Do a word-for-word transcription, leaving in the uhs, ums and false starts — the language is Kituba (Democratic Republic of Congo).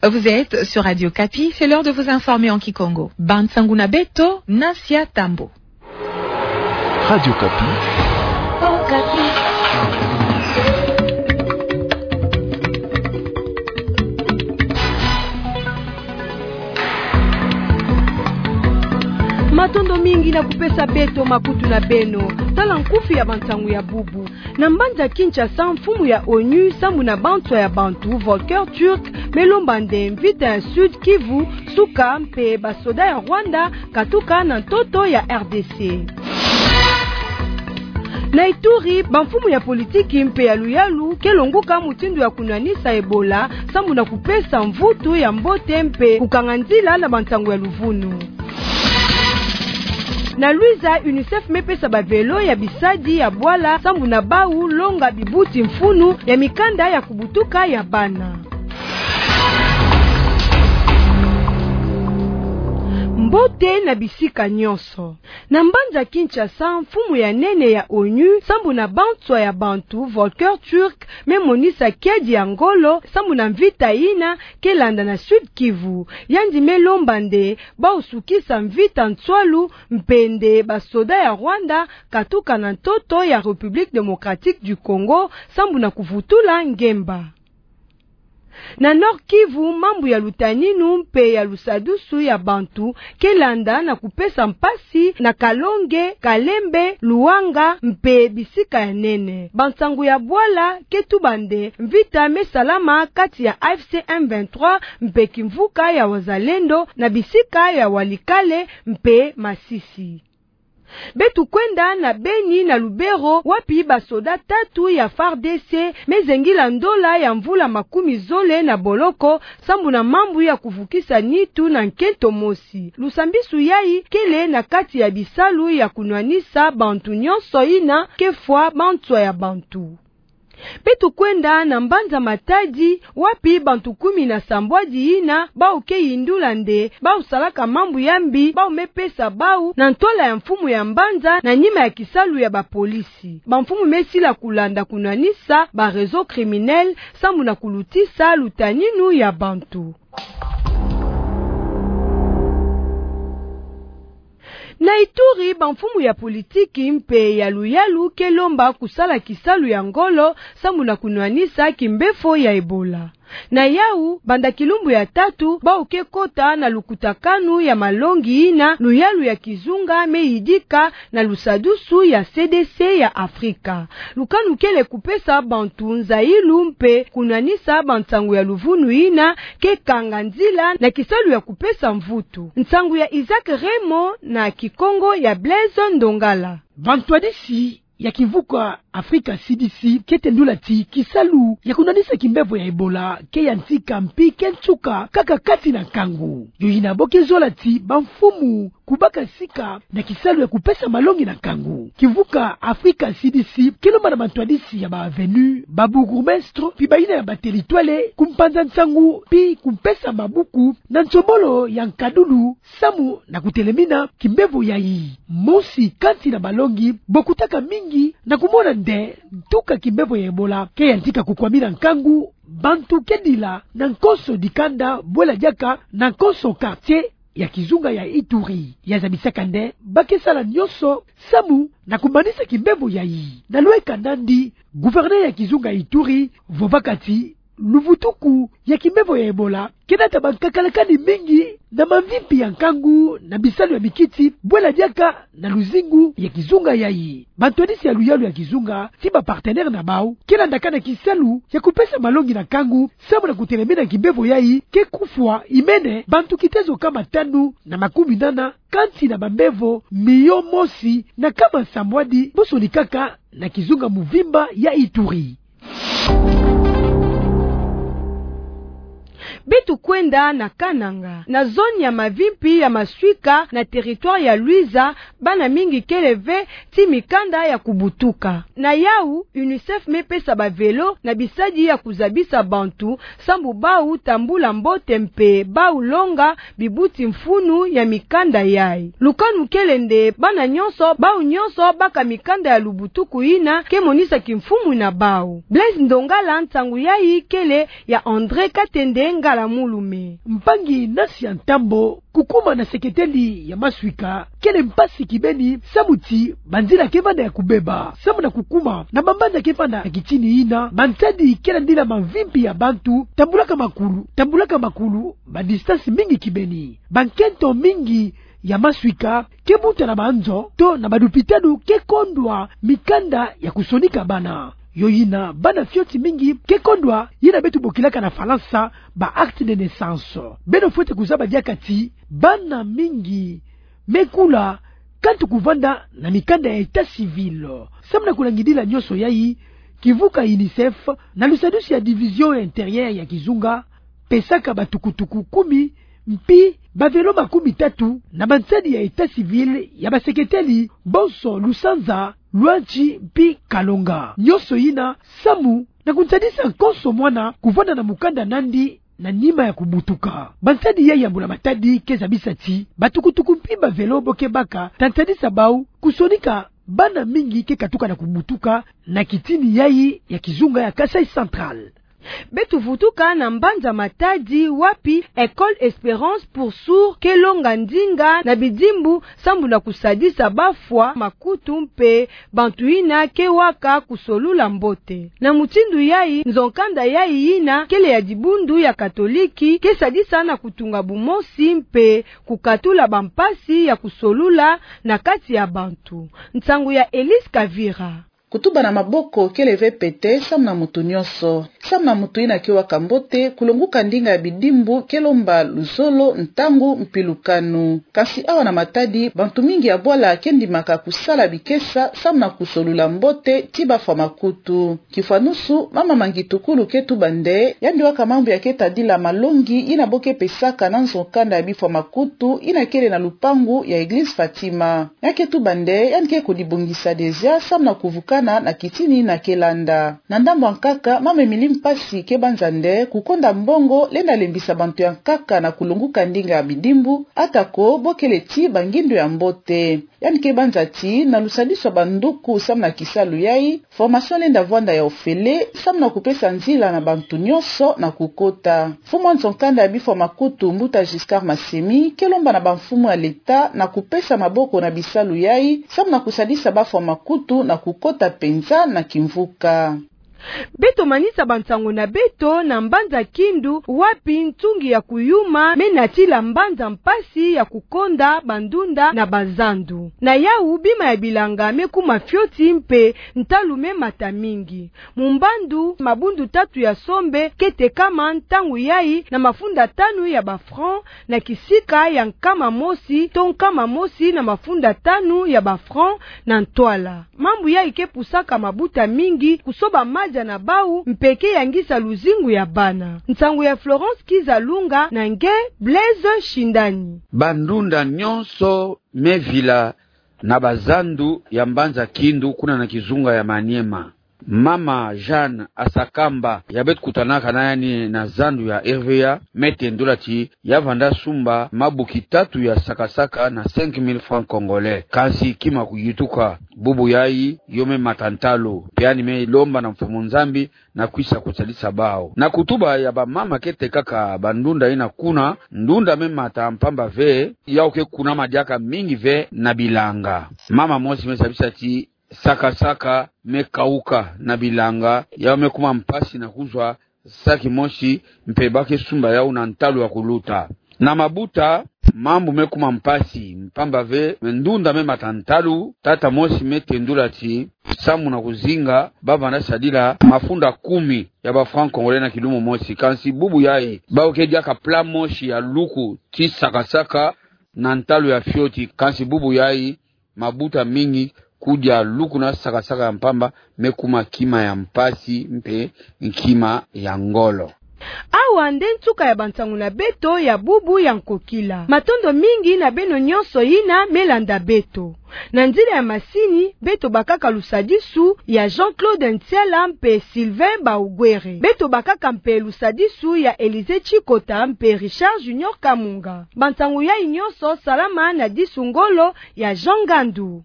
Vous êtes sur Radio Okapi, c'est l'heure de vous informer en kikongo. Bansangu na beto, Nasia Tambo. Radio Okapi. Matondo mingi na kupesa beto makutu na beno. Tala nkufi ya bansangu ya bubu. Na mbanza Kinshasa, mfumu ya onu sambu na banswa ya bantu, Volker Türk, me lomba nde mvita ya Sud-Kivu suka mpe basoda ya Rwanda katuka na ntoto ya R D C. Na Ituri, bamfumu ya politiki mpe ya luyalu ke longuka mutindu ya kunwanisa Ebola sambu na kupesa mvutu ya mbote mpe kukanga nzila na bansangu ya luvunu. Na Luiza, UNICEF me pesa bavelo ya bisadi ya bwala sambu na bau longa bibuti-mfunu ya mikanda ya kubutuka ya bana. Mbote na bisika nyonso. Na mbanza Kinshasa, mfumu ya nene ya onu sambu na banswa ya bantu, Volker Türk, me monisa kiadi ya ngolo sambu na mvita yina ke landa na Sud-Kivu. Yandi me lomba nde bau sukisa mvita nswalu mpe nde basoda ya Rwanda katuka na ntoto ya République Démocratique du Congo sambu na kuvutula ngemba. Na Nord-Kivu, mambu ya lutaninu mpe ya lusadusu ya bantu ke landa na kupesa mpasi na Kalonge, Kalembe, Luanga mpe bisika ya nene. Bansangu ya bwala ke tuba nde mvita me salama kati ya A F C M vingt-trois mpe kimvuka ya Wazalendo na bisika ya Walikale mpe Masisi. Beto kwenda na Beni na Lubero, wapi basoda tatu ya FARDC me zengila ndola ya mvula makumi zole na boloko sambu na mambu ya kuvukisa nitu na nkento mosi. Lusambisu yayi kele na kati ya bisalu ya kunwanisa bantu nyonso yina ke fwa banswa ya bantu. Beto kwenda na mbanza Matadi, wapi bantu kumi na sambwadi yina bau ke yindula nde bau salaka mambu ya mbi bau me pesa bau na ntwala ya mfumu ya mbanza na nima ya kisalu ya bapolisi. Bamfumu me sila kulanda kunwanisa ba réseaux criminels sambu na kulutisa lutaninu ya bantu. Na Ituri, bamfumu ya politiki mpe ya luyalu ke lomba kusala kisalu ya ngolo sambu na kunwanisa kimbefo ya Ebola. Na yau, banda kilumbu ya tatu, bau ke kota na lukutakanu ya malongi yina luyalu ya kizunga me yidika na lusadusu ya C D C ya Afrika. Lukanu kele kupesa bantu nzayilu mpe kunwanisa bansangu ya luvunu yina ke kanga nzila na kisalu ya kupesa mvutu. Nsangu ya Isaac Remo na kikongo ya Blaise Ndongala. Bantwadisi ya kimvuka Afrika C D C ke tendula ti kisalu ya kunwanisa kimbefo ya Ebola ke yantika mpi ke nsuka kaka kati na nkangu. Yo yina bo ke zola ti bamfumu kubaka sika na kisalu ya kupesa malongi na nkangu. Kimvuka Afrika C D C ke lomba na bantwadisi ya ba avenue, ba bourgmestre, mpi bayina ya ba territoire, kumpanza nsangu, mpi kumpesa mabuku na nsombolo ya nkadulu sambu na kutelemina kimbefo yayi. Mosi kati na balongi bo kutaka mingi na kumona nde ntuka kimbefo ya Ebola ke yantika kukwamina nkangu, bantu ke dila na nkonso dikanda, bwela diaka na nkonso quartier ya kizunga ya Ituri. Ya zabisaka nde ba ke sala nyonso sambu na kumanisa kimbefo yayi. Na lweka nandi, gouverneur ya kizunga Ituri vovaka ti luvutuku ya kimbefo ya Ebola ke nata bankakalakani mingi na mamvimpi ya nkangu na bisalu ya mikiti, bwela diaka na luzingu ya kizunga yayi. Bantwadisi ya luyalu ya kizunga ti ba partenaire na bau ke landaka na kisalu ya kupesa malongi na nkangu sambu na kutelemina kimbefo yayi ke kufwa imene bantu kitezo kama tanu na makumi nana kati na bambefo miyo mosi na kama sambwadi bo sonikaka na kizunga muvimba ya Ituri. Beto kwenda na Kananga. Na zone ya mavimpi ya Maswika na territoire ya Luiza, bana mingi kele ve ti mikanda ya kubutuka. Na yau, UNICEF me pesa bavelo na bisadi ya kuzabisa bantu sambu bau tambula mbote mpe bau longa bibuti-mfunu ya mikanda yayi. Lukanu kele nde bana nyonso, bau nyonso baka mikanda ya lubutuku yina ke monisa kimfumu na bau. Blaise Ndongala, nsangu yayi kele ya André Katende. ala mulume. Mpangi Nasia Ntambo, kukuma na seketeli ya maswika kele mpasi kibeni, samu ti banzila ke vanda ya kubeba samu na kukuma na bambanza ke vanda na kitini ina. Bansadi ke landila mavimpi ya bantu, tambulaka makulu, tambulaka makulu ba distance mingi kibeni. Bankento mingi ya maswika ke buta na banzo to na balupitalu ke kondwa mikanda ya kusonika bana. Yo yina bana fioti mingi ke kondwa yina beto bokilaka na Falansa ba acte de naissance. Beno fwete kuzaba diaka ti bana mingi me kula kantu kuvanda na mikanda ya état civil. Samu na kulangidila nyonso yayi, kivuka UNICEF na lusadisu ya Division Intérieure ya kizunga pesaka batukutuku kumi mpi bavelo makumi tatu na bansadi ya état civil ya baseketeli bonso Lusanza, Loanti mpi Kalonga. Nyonso yina samu na kunsadisa konso mwana kuvanda na mukanda nandi na nima ya kubutuka. Bansadi yayi ya Mbula Matadi ke zabisa ti batukutuku mpi bavelo bo ke baka ta nsadisa bau kusonika bana mingi ke katuka na kubutuka na kitini yayi ya kizunga ya Kasaï Central. Beto vutuka na mbanza Matadi wapi École Espérance pour Sourds ke longa ndinga na bidimbu samu na kusadisa bafwa makutu mpe bantu yina ke waka kusolula mbote. Na mutindu yayi, nzo-nkanda yayi yina kele ya dibundu ya Katoliki ke sadisa na kutunga bumosi mpe kukatula bampasi ya kusolula na kati ya bantu. Nsangu ya Elise Kavira. Kutuba na maboko kele ve pete samu na mutu nyonso. Samu na mutu yina ke waka mbote, kulonguka ndinga ya bidimbu ke lomba luzolo, ntangu mpi lukanu. Kansi awa na Matadi, bantu mingi ya bwala ke ndimaka kusala bikesa samu na kusolula mbote ti bafwa makutu. Kifwanusu, mama Mangitukulu ke tuba nde yandi waka mambu ya ke tadila malongi yina bo ke pesaka na nzo-nkanda ya bifwa makutu yina kele na lupangu ya Église Fatima. Ya ke tuba nde yandi ke kudibongisa déjà samu na kuvukana na kitini yina ke landa. Na ndambu ya nkaka, mama Emilie Mpasi ke banza nde kukonda mbongo lenda lembisa bantu ya nkaka na kulonguka ndinga ya bidimbu, atako bo kele ti bangindu ya mbote. Yandi ke banza ti na lusadisu ya banduku samu na kisalu yayi, formation lenda vwanda ya ofele samu na kupesa nzila na bantu nyonso na kukota. Mfumu wa nzo-nkanda ya bifwa makutu, Mbuta Giscard Masemi, ke lomba na bamfumu ya leta na kupesa maboko na bisalu yayi samu na kusadisa bafwa makutu na kukota penza na kimvuka. Beto manisa bansango na beto na mbanza Kindu, wapi ntungi ya kuyuma me natila mbanza mpasi ya kukonda bandunda na bazandu. Na yawu, bima ya bilanga me kuma fioti mpe ntalu me mata mingi. Mumbandu, mabundu tatu ya sombe ke tekama ntangu yayi na mafunda tanu ya ba francs, na kisika ya nkama mosi to nkama mosi na mafunda tanu ya ba francs na ntwala. Mambu yayi ke pusaka mabuta mingi kusoba madia na bawu mpe ke yangisa luzingu ya bana. Nsangu ya Florence Kizalunga na nge Blaise Shindani. Bandunda nyonso me vila na bazandu ya mbanza Kindu kuna na kizunga ya Maniema. Mama Jeanne Asakamba, ya beto kutanaka na yandi na zandu ya R V A, me tendula ti ya vanda sumba mabuki tatu ya sakasaka na cinq mille francs congolais. Kansi kima kuyituka. Bubu yayi, yo me mata ntalu, mpe yandi me lomba na Mfumu Nzambi na kwisa kusadisa bawu. Na kutuba ya bamama ke tekaka bandunda yina kuna, ndunda me mata mpamba ve, yawu ke kunama diaka mingi ve na bilanga. Mama mosi me zabisa ti sakasaka me kawuka na bilanga, yawu me kuma mpasi na kuzwa saki mosi, mpe ba ke sumba yawu na ntalu ya kuluta. Na mabuta, mambu me kuma mpasi, mpamba ve ndunda me mata ntalu. Tata mosi me tendula ti samu na kuzinga, ba vanda sadila mafunda kumi ya ba francs congolais na kilumu mosi. Kansi bubu yayi, bawu ke diaka plat mosi ya luku ti sakasaka na ntalu ya fioti. Kansi bubu yayi, mabuta mingi kudia luku na sakasaka ya mpamba me kuma kima ya mpasi mpe kima ya ngolo. Awa nde nsuka ya bansangu na beto ya bubu ya nkokila. Matondo mingi na beno nyonso yina me landa beto. Na nzila ya masini, beto bakaka lusadisu ya Jean-Claude Ntiala mpe Sylvain Baugwere. Beto bakaka mpe lusadisu ya Élisée Tshikota mpe Richard Junior Kamunga. Bansangu yayi nyonso salama na disu ngolo ya Jean Ngandu.